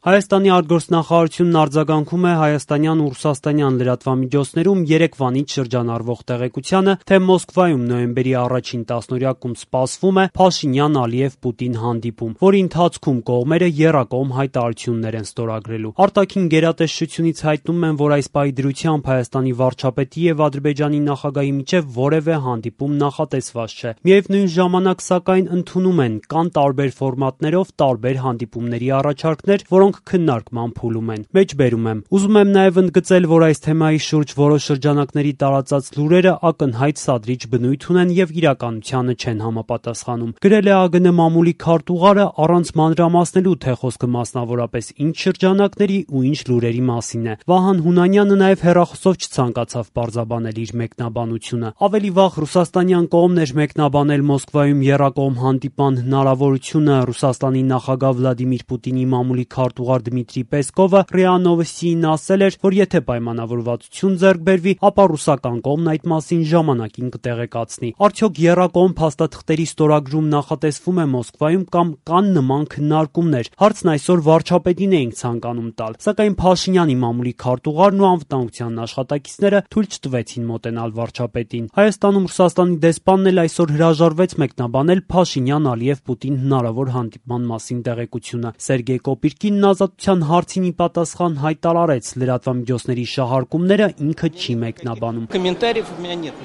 Հայաստանի արտգործնախարարությունն արձագանքում է հայաստանյան ու ռուսաստանյան լրատվամիջոցներում երեկվանից շրջանառվող տեղեկությանը, թե Մոսկվայում նոյեմբերի 1-ին 10-օրյակում սպասվում է Փաշինյան-Ալիև-Պուտին հանդիպում, որի ընթացքում կողմերը եռակողմ հայտարարություններ են ստորագրելու։ Արտաքին գերատեսչությունից հայտնում են, որ այս պահի դրությամբ Հայաստանի վարչապետի եւ Ադրբեջանի նախագահի միջեւ որևէ հանդիպում նախատեսված չէ։ Միևնույն ժամանակ, սակայն, ընդունում են կան տարբեր ֆորմատներով տարբեր հանդիպումների առաջարկներ, որոնք քննարկման փուլում են։ Մեջբերում եմ. ուզում եմ նաև ընդգծել, որ այս թեմայի շուրջ որոշ շրջանակների տարածած լուրերը ակնհայտ սադրիչ բնույթ ունեն եւ իրականությանը չեն համապատասխանում։ Գրել է ԱԳՆ մամուլի քարտուղարը առանց մանրամասնելու, թե խոսքը մասնավորապես ինչ շրջանակների ու ինչ լուրերի մասին է։ Վահան Հունանյանը նաև հեռախոսով չցանկացավ պարզաբանել իր մեկնաբանությունը։ Ավելի վաղ ռուսաստանյան կողմն էր մեկնաբանել Մոսկվայում եռակողմ հանդիպան հնարավորությունը։ Ռուսաստանի նախագահ Վլադիմիր Պուտինի մամուլի քարտուղար Դմիտրի Պեսկովը ՌԻԱ Նովոստիին ասել էր, որ եթե պայմանավորվածություն ձեռք բերվի, ապա ռուսական կողմն այդ մասին ժամանակին կտեղեկացնի։ Արդյոք եռակողմ փաստաթղթերի ստորագրում նախատեսվում է Մոսկվայում կամ կան նման քննարկումներ։ Հարցն այսօր վարչապետին էինք ցանկանում տալ, սակայն Փաշինյանի մամուլի քարտուղարն ու անվտանգության աշխատակիցները թույլ չտվեցին մոտենալ վարչապետին։ Հայաստանում Ռուսաստանի դեսպանն էլ այսօր հրաժարվեց մեկնաբանել Փաշինյան-Ալիև-Պուտին հնարավոր հանդիպման մասին տեղեկությունը։ Սերգեյ Կոպիրկինն ազատության հարցին ի պատասխան հայտարարեց, լրատվամիջոցների շահարկումները ինքը չի մեկնաբանում։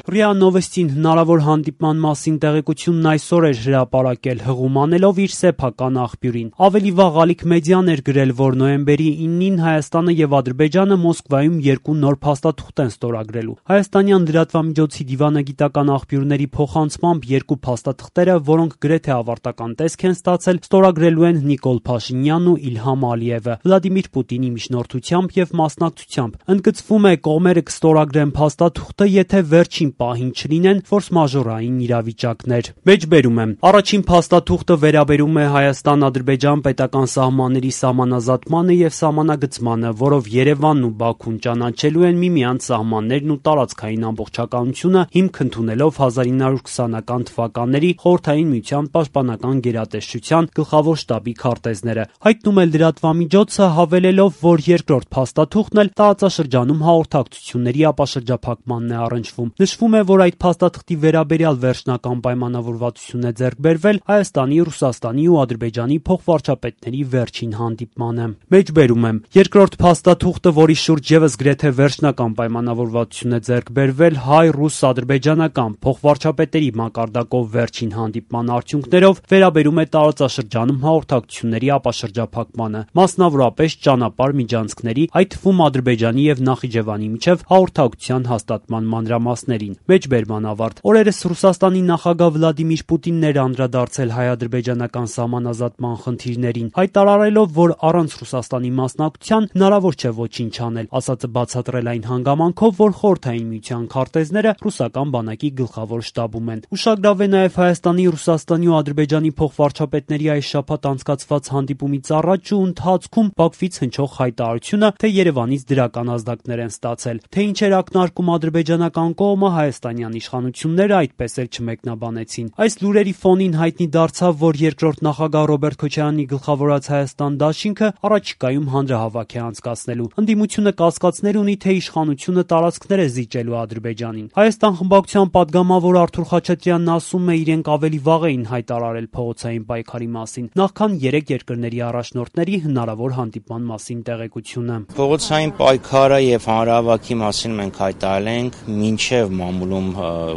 ՌԻԱ Նովոստին հնարավոր հանդիպման մասին տեղեկությունն այսօր էր հրապարակել, հղում անելով իր սեփական աղբյուրին։ Ավելի վաղ Ալիք մեդիան էր գրել, որ նոյեմբերի 9-ին Հայաստանը եւ Ադրբեջանը Մոսկվայում երկու նոր փաստաթուղթ են ստորագրելու։ Հայաստանյան լրատվամիջոցի դիվանագիտական աղբյուրների փոխանցմամբ երկու փաստաթղթերը, որոնք գրեթե ավարտական տեսք են ստացել, ստորագրելու են Նիկոլ Փաշինյանն ու Իլհամ Ալիևը Վլադիմիր Պուտինի միջնորդությամբ եւ մասնակցությամբ։ Ընդգծվում է, կողմերը կստորագրեն փաստաթուղթը, եթե վերջին պահին չլինեն ֆորս-մաժորային իրավիճակներ։ Մեջբերում եմ. առաջին փաստաթուղթը վերաբերում է Հայաստան-Ադրբեջան պետական սահմանների սահմանազատմանը եւ սահմանագծմանը, որով Երևանն ու Բաքուն ճանաչելու են միմյանց սահմաններն ու տարածքային ամբողջականությունը, հիմք ընդունելով 1920-ական թվականների Խորհրդային Միության պաշտպանական գերատեսչության գլխավոր շտաբի քարտեզները։ Հայտնում է լրատվամիջոցը, հավելելով, որ երկրորդ փաստաթուղթն էլ տարածաշրջանում հաղորդակցությունների ապաշրջափակմանն է առնչվում։ Նշվում է, որ այդ փաստաթղթի վերաբերյալ վերջնական պայմանավորվածություն է ձեռք բերվել Հայաստանի, Ռուսաստանի ու Ադրբեջանի փոխվարչապետների վերջին հանդիպմանը։ Մեջբերում եմ. երկրորդ փաստաթուղթը, որի շուրջ եւս գրեթե վերջնական պայմանավորվածություն է ձեռք բերվել հայ-ռուս-ադրբեջանական փոխվարչապետերի մակարդակով վերջին հանդիպման արդյունքներով, վերաբերում է տարածաշրջանում հաղորդակցությունների ապաշրջափակմանը, մասնավորապես ճանապարհ միջանցքների, այդ թվում Ադրբեջանի եւ Նախիջևանի միջև հաղորդակցության հաստատման մանրամասներին։ Մեջբերման ավարտ։ Օրերս Ռուսաստանի նախագահ Վլադիմիր Պուտինն էր անդրադարձել հայ-ադրբեջանական սահմանազատման խնդիրներին, հայտարարելով, որ առանց Ռուսաստանի մասնակցության հնարավոր չէ ոչինչ անել, ասածը բացատրել այն հանգամանքով, որ Խորհրդային Միության քարտեզները ռուսական բանակի գլխավոր շտաբում են։ Ուշագրավ է նաև Հայաստանի, Ռուսաստանի ու Ադրբեջանի փոխվարչապետների այս շաբաթ անցկացված հանդիպումից առաջ ու ընթացքում Բաքվից հնչող հայտարարությունը, թե Երևանից դրական ազդակներ են ստացել։ Թե ինչ էր ակնարկում ադրբեջանական կողմը, հայաստանյան իշխանությունները այդպես էլ չմեկնաբանեցին։ Այս լուրերի ֆոնին հայտնի դարձավ, որ երկրորդ նախագահ Ռոբերտ Քոչարյանի գլխավորած Հայաստան դաշինքը առաջիկայում հանրահավաք է անցկացնելու։ Ընդդիմությունը կասկածներ ունի, թե իշխանությունը տարածքներ է զիջելու Ադրբեջանին։ Հայաստան խմբակցության падգամավոր Արթուր Խաչատրյանն ասում է, իրենք ավելի վաղ էին հայտարարել փողոցային պայքարի մասին, նախքան 3 երկրների առաջնորդների հնարավոր հանդիպման մասին տեղեկությունը։ Փողոցային պայքարը եւ հանրահավաքի մասին մենք հայտարարել ենք, մինչեւ մամուլում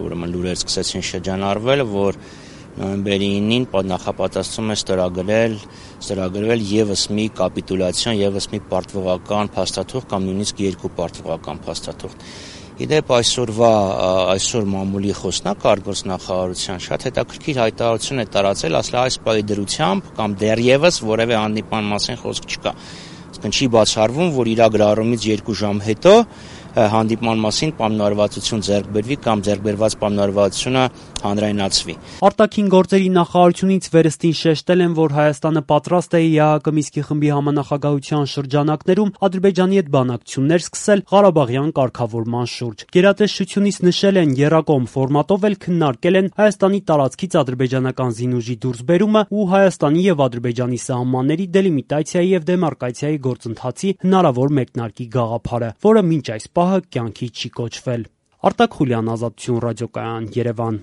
ուրեմն լուրեր սկսեցին շրջանառվել, որ նոյեմբերի 9-ին նախապատասխանում է ստորագրվել եւս մի կապիտուլյացիոն, եւս մի պարտվողական փաստաթուղթ կամ նույնիսկ երկու պարտվողական փաստաթուղթ։ Իդեպ այսօր մամուլի խոսնակ արտգործնախարարության շատ հետաքրքիր հայտարարություն է տարածել, ասել այս պահի դրությամբ կամ դեռևս որևէ հանդիպման մասին խոսք չկա։ Չի բացառվում, որ իրագրառումից 2 ժամ հետո հանդիպման մասին պայմանավորվածություն ձեռք բերվի կամ ձեռքբերված պայմանավորվածությունը հանրայնացվի։ Արտաքին գործերի նախարարությունից վերստին շեշտել են, որ Հայաստանը պատրաստ է ԵԱՀԿ Մինսկի խմբի համանախագահության շրջանակներում Ադրբեջանի հետ բանակցություններ սկսել Ղարաբաղյան կարգավորման շուրջ։ Գերատեսչությունից նշել են, եռակողմ ֆորմատով էլ քննարկել են Հայաստանի տարածքից ադրբեջանական զինուժի դուրսբերումը ու Հայաստանի եւ Ադրբեջանի սահմանների դելիմիտացիայի եւ դեմարկացիայի գործընթացի հնարավոր մեկնարկի գաղափարը, որը մինչ այս պահը կյանքի չի կոչվել։ Արտակ Խուլյան, Ազատություն ռադիոկայան, Երևան։